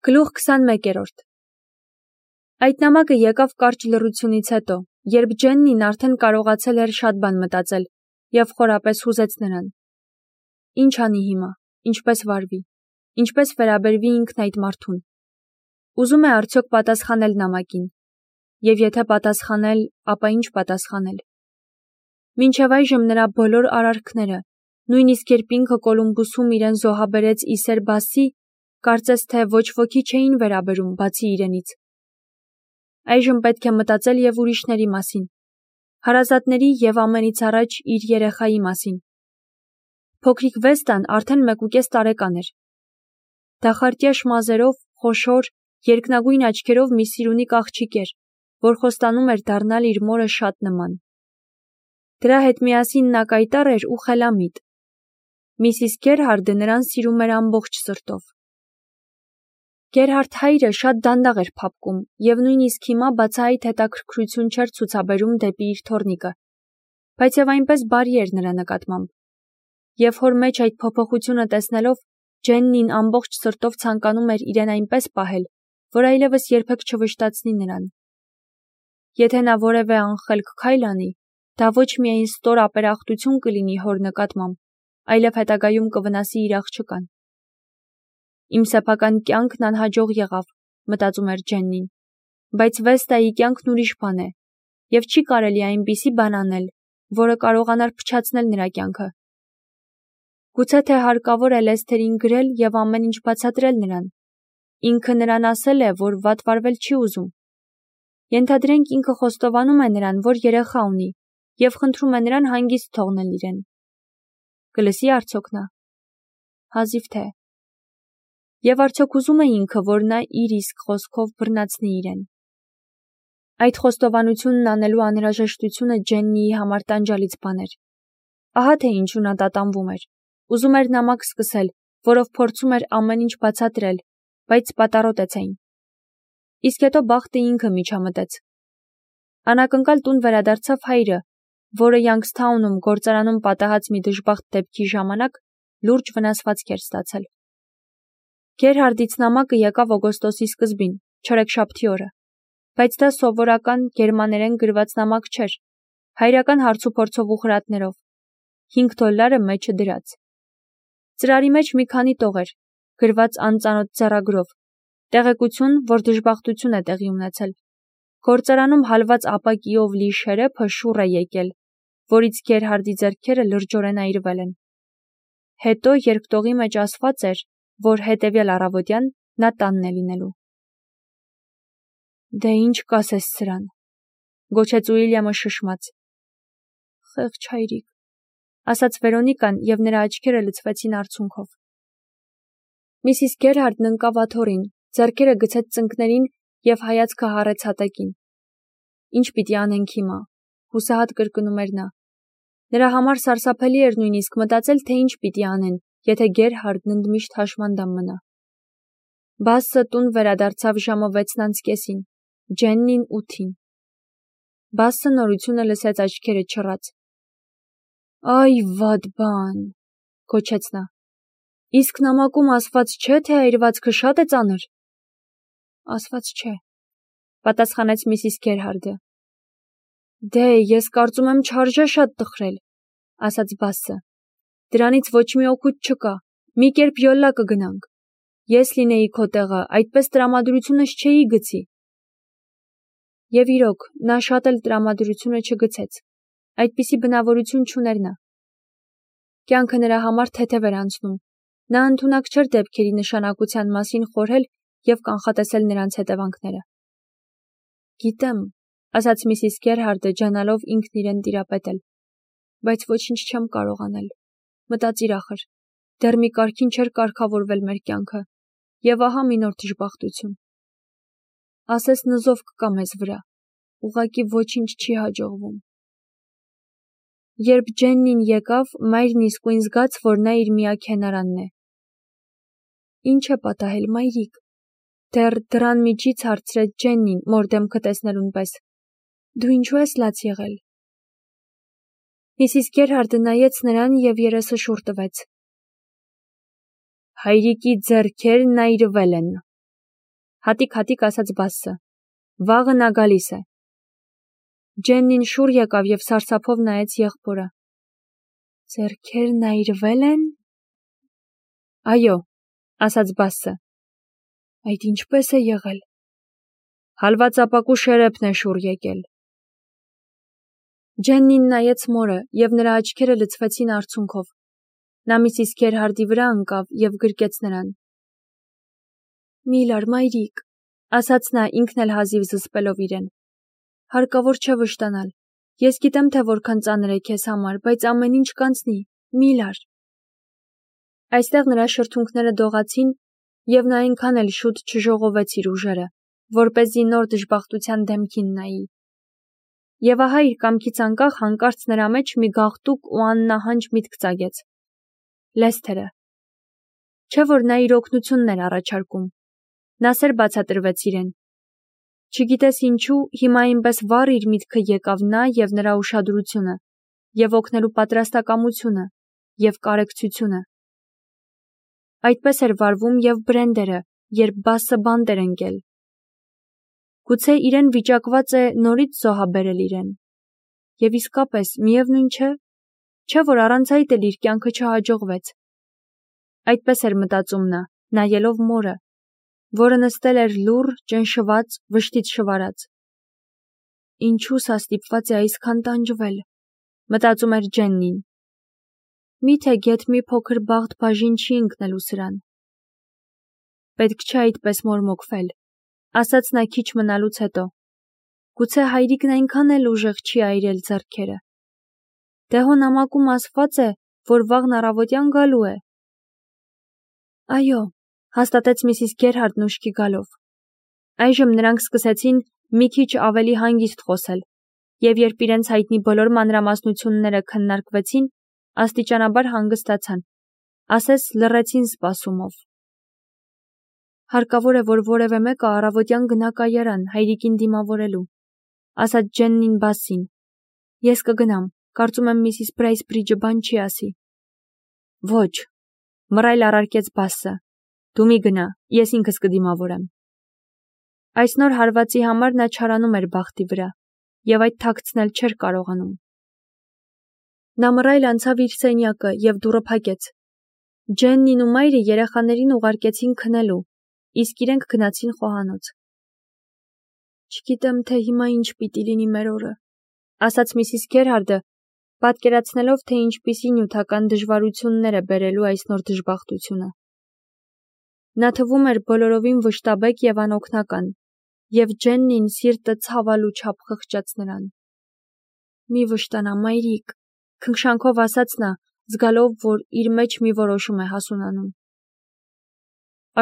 Գլուխ 21-րդ Այդ նամակը եկավ կարճ լռությունից հետո, երբ Ջեննին արդեն կարողացել էր շատ բան մտածել և խորապես հուզեց նրան։ Ինչ անի հիմա, ինչպես վարվի, ինչպես վերաբերվի ինքն այդ մարդուն։ Ուզում է արդյոք պատասխանել նամակին, և եթե պատասխանել, ապա ինչ պատասխանել։ Մինչև այժմ նրա բոլոր արարքները, նույնիսկ երբ ինքը Կոլումբուսում իրեն զոհաբերեց Իսեր Բասի, կարծես թե ոչ ոքի չէին վերաբերում, բացի իրենից։ Այժմ պետք է մտածել և ուրիշների մասին, հարազատների և ամենից առաջ իր երեխայի մասին։ Փոքրիկ Վեստան արդեն 1.5 տարեկան էր։ Դախարտյաշ մազերով, խոշոր, երկնագույն աչքերով մի սիրունիկ աղջիկ էր, որ խոստանում էր դառնալ իր մորը շատ նման։ Դրա հետ միասին նա կայտառ էր ու խելամիտ։ Միսիս Գերհարդը նրան սիրում էր ամբողջ սրտով։ Գերհարդ հայրը շատ դանդաղ էր փափկում և նույնիսկ հիմա բացահայտ հետաքրքրություն չէր ցուցաբերում դեպի իր թոռնիկը, բայց և այնպես բարի էր նրա նկատմամբ։ Եվ հոր մեջ այդ փոփոխությունը տեսնելով, Ջեննին ամբողջ սրտով ցանկանում էր իրեն այնպես պահել, որ այլևս երբեք չվշտացնի նրան։ Եթե նա որևէ անխելք քայլ անի, դա ոչ միայն ստոր ապերախտություն կլինի հոր նկատմամբ, այլև հետագայում կվնասի իր աղջկան։ Իմ սեփական կյանքն անհաջող եղավ, մտածում էր Ջեննին, բայց Վեստայի կյանքն ուրիշ բան է, և չի կարելի այնպիսի բան անել, որը կարողանար փչացնել նրա կյանքը։ Գուցե թե հարկավոր է Լեսթերին գրել և ամեն ինչ բացատրել նրան։ Ինքը նրան ասել է, որ վատ վարվել չի ուզում։ Ենթադրենք ինքը խոստովանում է նրան, որ երեխա ունի, և խնդրում է նրան հանգիստ թողնել իրեն։ Կլսի արդյոք նա։ Հազիվ թե։ Եվ արդյոք ուզում է ինքը, որ նա իր իսկ խոսքով բռնացնի իրեն։ Այդ խոստովանությունն անելու անհրաժեշտությունը Ջեննիի համար տանջալից բան էր։ Ահա թե ինչու նա տատանվում էր։ Ուզում էր նամակ սկսել, որով փորձում էր ամեն ինչ բացատրել, բայց պատառոտեցին։ Իսկ հետո բախտը ինքը միջամտեց։ Անակնկալ տուն վերադարձավ հայրը, որը Յանգսթաունում գործարանում պատահած մի դժբախտ դեպքի ժամանակ լուրջ վնասվածք էր ստացել։ Գերհարդից նամակը եկավ օգոստոսի սկզբին, չորեքշաբթի օրը, բայց դա սովորական գերմաներեն գրված նամակ չէր, հայրական հարցուփորձով ու խրատներով, $5 մեջը դրած։ Ծրարի մեջ մի քանի տող էր, գրված անծանոթ ձեռագրով, տեղեկություն, որ դժբախտություն է տեղի ունեցել։ Գործարանում հալված ապակիով լի շերեփը շուռ է եկել, որից Գերհարդի ձեռքերը լրջորեն այրվել են։ Հետո, երբ տողի մեջ ասված էր, որ հետևյալ առավոտյան նա տանն է լինելու։ Դե ինչ կասես սրան, գոչեց Ուիլյամը շշմած։ Խեղճ հայրիկ, ասաց Վերոնիկան, և նրա աչքերը լցվեցին արցունքով։ Միսիս Գերհարդն ընկավ աթոռին, ձեռքերը գցեց ծնկներին և հայացքը հառեց հատակին։ Ինչ պիտի անենք հիմա, հուսահատ կրկնում էր նա։ Նրա համար սարսափելի էր նույնիսկ մտածել, թե ինչ պիտի անեն, եթե Գերհարդն ընդմիշտ հաշմանդամ մնա։ Բասը տուն վերադարձավ ժամը 6:30, Ջեննին 8-ին։ Բասը նորությունը լսեց աչքերը չռած։ Այ վատ բան, գոչեց նա։ Իսկ նամակում ասված չէ, թե այրվածքը շատ է ծանր։ Ասված չէ, պատասխանեց միսիս Գերհարդը։ Դե, ես կարծում եմ չարժե շատ տխրել, ասաց Բասը։ Դրանից ոչ մի օգուտ չկա, մի կերպ յոլլա կգնանք։ Ես լինեի քո տեղը, այդպես տրամադրությունս չէի գցի։ Եվ իրոք, նա շատ էլ տրամադրությունը չգցեց։ Այդպիսի բնավորություն չուներ նա։ Կյանքը նրա համար թեթև էր անցնում։ Նա ընդունակ չէր դեպքերի նշանակության մասին խորհել և կանխատեսել նրանց հետևանքները։ Գիտեմ, ասաց միսիս Գերհարդը, ջանալով ինքն իրեն տիրապետել, բայց ոչինչ չեմ կարող անել։ Մտածիր ախր, դեռ մի կարգին չէր կարգավորվել մեր կյանքը, և ահա մի նոր դժբախտություն։ Ասես նզով կկա մեզ վրա, ուղղակի ոչինչ չի հաջողվում։ Երբ Ջեննին եկավ, մայրն իսկույն զգաց, որ նա իր միակ հենարանն է։ Ինչ է պատահել, մայրիկ, դեռ դռան միջից հարցրեց Ջեննին, մոր դեմքը տեսնելուն պես։ Դու ինչու ես լաց եղել։ Միսիս Գերհարդը նայեց նրան և երեսը շուռ տվեց։ Հայրիկի ձեռքերն այրվել են, Հատիկ ասաց Բասսը։ Վաղը նա գալիս է։ Ջեննին շուռ եկավ և սարսափով նայեց եղբորը։ Ձեռքերն այրվել են։ Այո, ասաց Բասսը։ Այդ ինչպես է եղել։ Հալվածապակու շերեփն է շուռ եկել։ Ջեննին նայեց մորը, և նրա աչքերը լցվեցին արցունքով։ Նա Միսիս Գերհարդի վրա ընկավ և գրկեց նրան։ Միլար, մայրիկ, ասաց նա ինքն էլ հազիվ զսպելով իրեն։ Հարկավոր չէ վշտանալ։ Ես գիտեմ, թե որքան ծանր է քեզ համար, բայց ամեն ինչ կանցնի, Միլար։ Այստեղ նրա շրթունքները դողացին, և նա այնքան էլ շուտ չժողովեց իր ուժերը, որպեսզի նոր դժբախտության դեմքին նայի։ Եվ ահա իր կամքից անկախ հանկարծ նրա մեջ մի գաղտուկ ու աննահանջ միտք ծագեց։ Լեսթերը։ Չէ՞ որ նա իր օգնությունն էր առաջարկում։ Նա սեր բացատրվեց իրեն։ Չգիտես ինչու, հիմա այնպես վառ իր միտքը եկավ նա և նրա ուշադրությունը, և օգնելու պատրաստակամությունը, և կարեկցությունը։ Այդպես էր վարվում և Բրենդերը, երբ Բասսը բանտ էր ընկել։ Գուցե իրեն վիճակված է նորից զոհաբերել իրեն։ Եվ իսկապես, միևնույն չէ, չէ՞ որ առանց այդ էլ իր կյանքը չհաջողվեց։ Այդպես էր մտածում նա, նայելով մորը, որը նստել էր լուռ, ճնշված, վշտից շվարած։ Ինչու սա ստիպված է այսքան տանջվել, մտածում էր Ջեննին։ Միթե գեթ մի փոքր բաղդ բաժին չի ընկնելու սրան։ Պետք չէ այդպես մորմոքվել, ասաց նա քիչ մնալուց հետո։ Գուցե հայրիկն այնքան էլ ուժեղ չի այրել ձեռքերը։ Դե հո նամակում ասված է, որ վաղն առավոտյան գալու է։ Այո, հաստատեց Միսիս Գերհարդն ուշքի գալով։ Այժմ նրանք սկսեցին մի քիչ ավելի հանգիստ խոսել, և երբ իրենց հայտնի բոլոր մանրամասնությունները քննարկվեցին, աստիճանաբար հանգստացան, ասես լռեցին սպասումով։ Հարկավոր է, որ որևէ մեկը առավոտյան գնա կայարան հայրիկին դիմավորելու, ասաց Ջեննին Բասսին։ Ես կգնամ, կարծում եմ Միսիս Բրայսբրիջը բան չի ասի։ Ոչ, մռայլ առարկեց Բասսը։ Դու մի գնա, ես ինքս կդիմավորեմ։ Այս նոր հարվածի համար նա չարանում էր բախտի վրա, և այդ թաքցնել չէր կարողանում։ Նա մռայլ անցավ իր սենյակը և դուռը փակեց։ Ջեննին ու մայրը երեխաներին ուղարկեցին քնելու, իսկ իրենք գնացին խոհանոց։ Չգիտեմ, թե հիմա ինչ պիտի լինի մեր օրը, ասաց Միսիս Գերհարդը, պատկերացնելով, թե ինչպիսի նյութական դժվարություններ է բերելու այս նոր դժբախտությունը։ Նա թվում էր բոլորովին վշտաբեկ և անօգնական, և Ջեննին սիրտը ցավալու չափ խղճաց նրան։ Մի վշտանա, մայրիկ, քնքշանքով ասաց նա, զգալով, որ իր մեջ մի որոշում է հասունանում։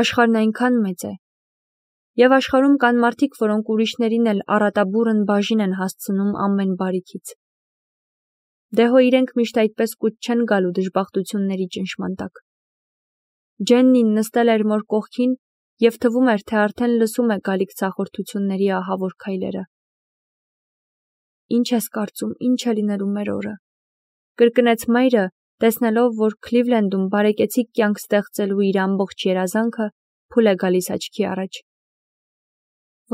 Աշխարհն այնքան մեծ է, և աշխարհում կան մարդիկ, որոնք ուրիշներին էլ առատաբուռն բաժին են հասցնում ամեն բարիքից։ Դե հո իրենք միշտ այդպես կուտ չեն գալու դժբախտությունների ճնշման տակ։ Ջեննին նստել էր մոր կողքին և թվում էր, թե արդեն լսում է գալիք ցախորդությունների ահավոր քայլերը։ Ինչ ես կարծում, ինչ է լինելու մեր օրը, կրկնեց մայրը, տեսնելով, որ Քլիվլենդում բարեկեցիկ կյանք ստեղծելու իր ամբողջ երազանքը փուլ է գալիս աչքի առաջ։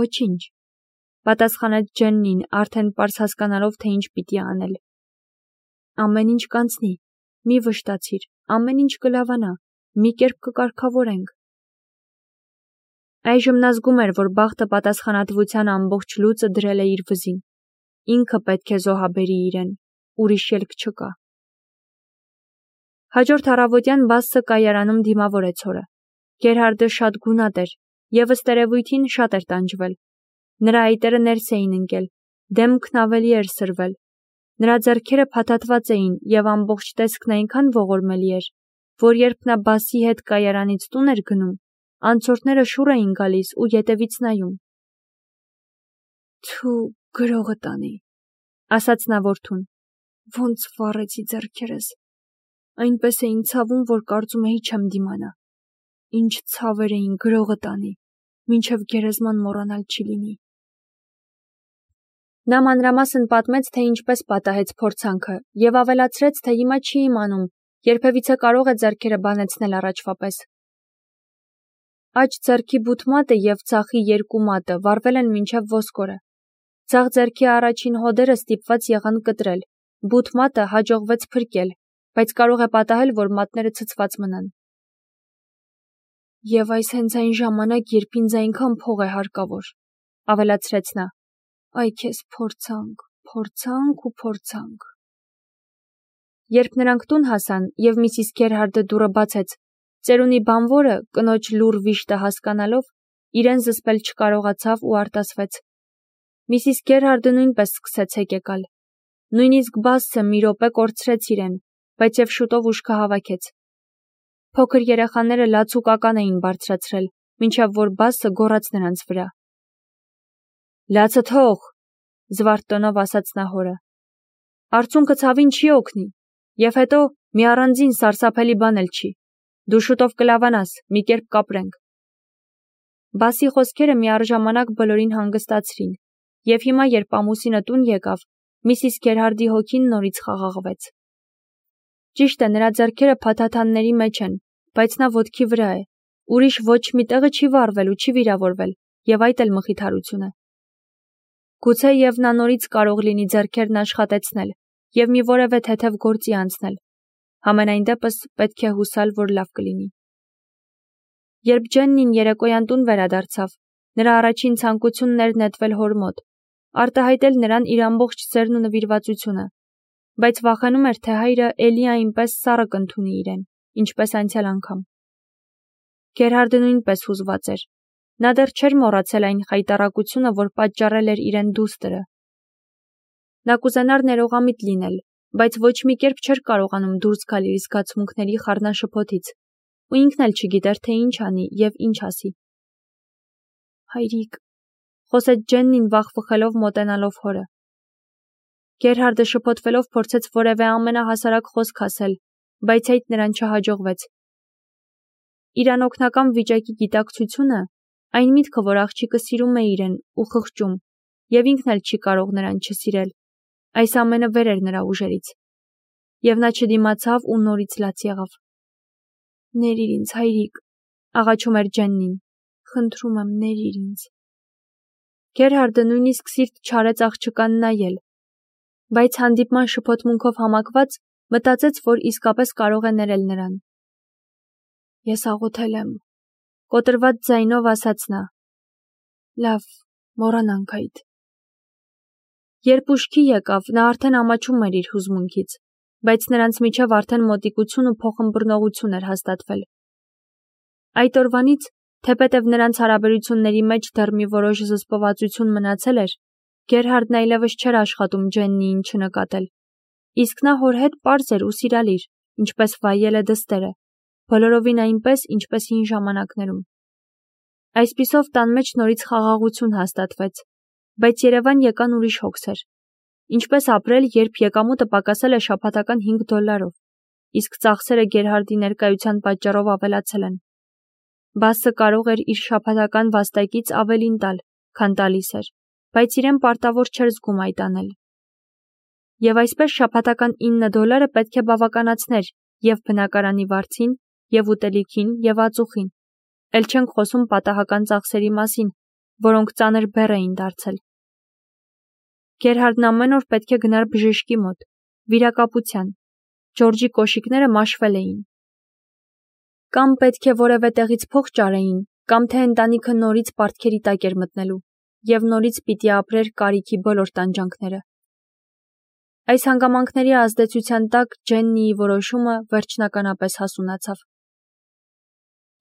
Ոչինչ, պատասխանեց Ջեննին, արդեն պարզ հասկանալով, թե ինչ պիտի անել։ Ամեն ինչ կանցնի, մի վշտացիր, ամեն ինչ կլավանա, մի կերպ կկարգավորենք։ Այժմ նա զգում էր, որ բախտը պատասխանատվության ամբողջ լուծը դրել է իր վզին։ Ինքը պետք է զոհաբերի իրեն, ուրիշ ելք չկա։ Հաջորդ առավոտյան Բասսը կայարանում դիմավորեց օրը։ Գերհարդը շատ գունատ էր, և ըստ երևույթին շատ էր տանջվել։ Նրա այտերը ներս էին ընկել, դեմքն ավելի էր սրվել։ Նրա ձեռքերը փաթաթված էին, և ամբողջ տեսքն այնքան ողորմելի էր, որ երբ նա Բասսի հետ կայարանից տուն էր գնում, անցորդները շուռ էին գալիս ու ետևից նայում։ Թու, գրողը տանի, ասաց նա որդուն, ոնց վառեցի ձեռքերս։ Այնպես էին ցավում, որ կարծում էի չեմ դիմանա։ Ինչ ցավեր էին, գրողը տանի, մինչև գերեզման մոռանալ չի լինի։ Նա մանրամասն պատմեց, թե ինչպես պատահեց փորձանքը, և ավելացրեց, թե հիմա չի իմանում, երբևիցե կարող է ձեռքերը բանեցնել առաջվա պես։ Աջ ձեռքի բութ մատը և ձախի երկու մատը վառվել են մինչև ոսկորը։ Ձախ ձեռքի առաջին հոդերը ստիպված եղան կտրել, բութ մատը հաջողվեց փրկել, բայց կարող է պատահել, որ մատները ցցված մնան։ Եվ այս հենց այն ժամանակ, երբ ինձ այնքան փող է հարկավոր, ավելացրեց նա։ Այ քեզ փորձանք։ Երբ նրանք տուն հասան և Միսիս Գերհարդը դուռը բացեց, ծերունի բանվորը, կնոջ լուռ վիշտը հասկանալով, իրեն զսպել չկարողացավ ու արտասվեց։ Միսիս Գերհարդը նույնպես սկսեց հեկեկալ։ Նույնիսկ Բասսը մի րոպե կորցրեց իրեն, բայց և շուտով ուշքը հավաքեց։ Փոքր երեխաները լաց ու կական էին բարձրացրել, մինչև որ Բասսը գոռաց նրանց վրա։ Լացը թող, զվարթ տոնով ասաց նա հորը։ Արցունքը ցավին չի օգնի, և հետո մի առանձին սարսափելի բան էլ չի։ Դու շուտով կլավանաս, մի կերպ կապրենք։ Բասի խոսքերը միառժամանակ բոլորին հանգստացրին, և հիմա, երբ ամուսինը տուն եկավ, Միսիս Գերհարդի հոգին նորից խաղաղվեց։ Ճիշտ է, նրա ձեռքերը փաթաթանների մեջ են, բայց նա ոտքի վրա է, ուրիշ ոչ մի տեղը չի վառվել ու չի վիրավորվել, և այդ էլ մխիթարություն է։ Գուցեև նա նորից կարող լինի ձեռքերն աշխատեցնել և մի որևէ թեթև գործի անցնել։ Համենայն դեպս պետք է հուսալ, որ լավ կլինի։ Երբ Ջեննին երեկոյան տուն վերադարձավ, նրա առաջին ցանկությունն էր նետվել հոր մոտ, արտահայտել նրան իր ամբողջ սերն ու նվիրվածությունը, բայց վախենում էր, թե հայրը էլի այնպես սառը կընդունի իրեն, ինչպես անցյալ անգամ։ Գերհարդը նույնպես հուզված էր։ Նա դեռ չէր մոռացել այն խայտառակությունը, որ պատճառել էր իրեն դուստրը։ Նա կուզենար ներողամիտ լինել, բայց ոչ մի կերպ չէր կարողանում դուրս գալ իր զգացմունքների խառնաշփոթից, ու ինքն էլ չգիտեր, թե ինչ անի և ինչ ասի։ Հայրիկ, խոսեց Ջեննին վախվխելով մոտենալով հորը։ Գերհարդը շփոթվելով փորձեց որևէ ամենահասարակ խոսք ասել, բայց այդ նրան չհաջողվեց։ Իր անօգնական վիճակի գիտակցությունը, այն միտքը, որ աղջիկը սիրում է իրեն ու խղճում, և ինքն էլ չի կարող նրան չսիրել, այս ամենը վեր էր նրա ուժերից։ Եվ նա չդիմացավ ու նորից լաց եղավ։ Ներիր ինձ, հայրիկ, աղաչում էր Ջեննին, խնդրում եմ, ներիր ինձ։ Գերհարդը նույնիսկ սիրտ չարեց աղջկան նայել, բայց հանդիպման շփոթմունքով համակված մտածեց, որ իսկապես կարող է ներել նրան։ Ես աղոթել եմ, կոտրված ձայնով ասաց նա։ Լավ, մոռանանք այդ։ Երբ ուշքի եկավ, նա արդեն ամաչում էր իր հուզմունքից, բայց նրանց միջև արդեն մոտիկություն ու փոխըմբռնողություն էր հաստատվել։ Այդ օրվանից, թեպետև նրանց հարաբերությունների մեջ դեռ մի որոշ զսպվածություն մնացել էր, Գերհարդն այլևս չէր աշխատում Ջեննիին չնկատել, իսկ նա հոր հետ պարզ էր ու սիրալիր, ինչպես վայել է դստերը, բոլորովին այնպես, ինչպես հին ժամանակներում։ Այսպիսով տան մեջ նորից խաղաղություն հաստատվեց, բայց Երևան եկան ուրիշ հոգսեր։ Ինչպես ապրել, երբ եկամուտը պակասել է շաբաթական $5, իսկ ծախսերը Գերհարդի ներկայության պատճառով ավելացել են։ Բասսը կարող էր իր շաբաթական վաստակից ավելին տալ, քան տալիս էր, բայց իրեն պարտավոր չէր զգում այդ անել։ Եվ այսպես շաբաթական $9 պետք է բավականացներ և բնակարանի վարձին, և ուտելիքին, և ածուխին, էլ չենք խոսում պատահական ծախսերի մասին, որոնք ծանր բեռ էին դարձել։ Գերհարդն ամեն օր պետք է գնար բժշկի մոտ, վիրակապության, Ջորջի կոշիկները մաշվել էին։ Կամ պետք է որևէ տեղից փող ճարեին, կամ թե ընտանիքը նորից պարտքերի տակ էր մտնելու, և նորից պիտի ապրեր կարիքի բոլոր տանջանքները։ Այս հանգամանքների ազդեցության տակ Ջեննիի որոշումը վերջնականապես հասունացավ։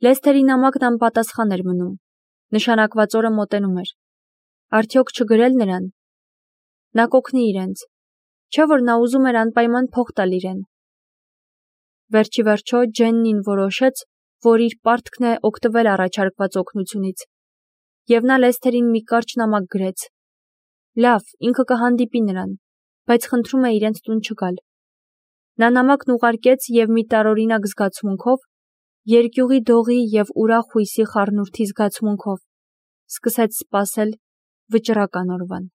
Լեսթերի նամակն անպատասխան էր մնում։ Նշանակված օրը մոտենում էր։ Արդյոք չգրել նրան։ Նա կօգնի իրենց, չէ՞ որ նա ուզում էր անպայման փող տալ իրեն։ Վերջի վերջո Ջեննին որոշեց, որ իր պարտքն է օգտվել առաջարկված օգնությունից, և նա Լեսթերին մի կարճ նամակ գրեց։ Լավ, ինքը կհանդիպի նրան, բայց խնդրում է իրենց տուն չգալ։ Նա նամակն ուղարկեց և մի տարօրինակ զգացմունքով, երկյուղի դողի և ուրախ հույսի խառնուրդի զգացմունքով սկսեց սպասել վճռական օրվան։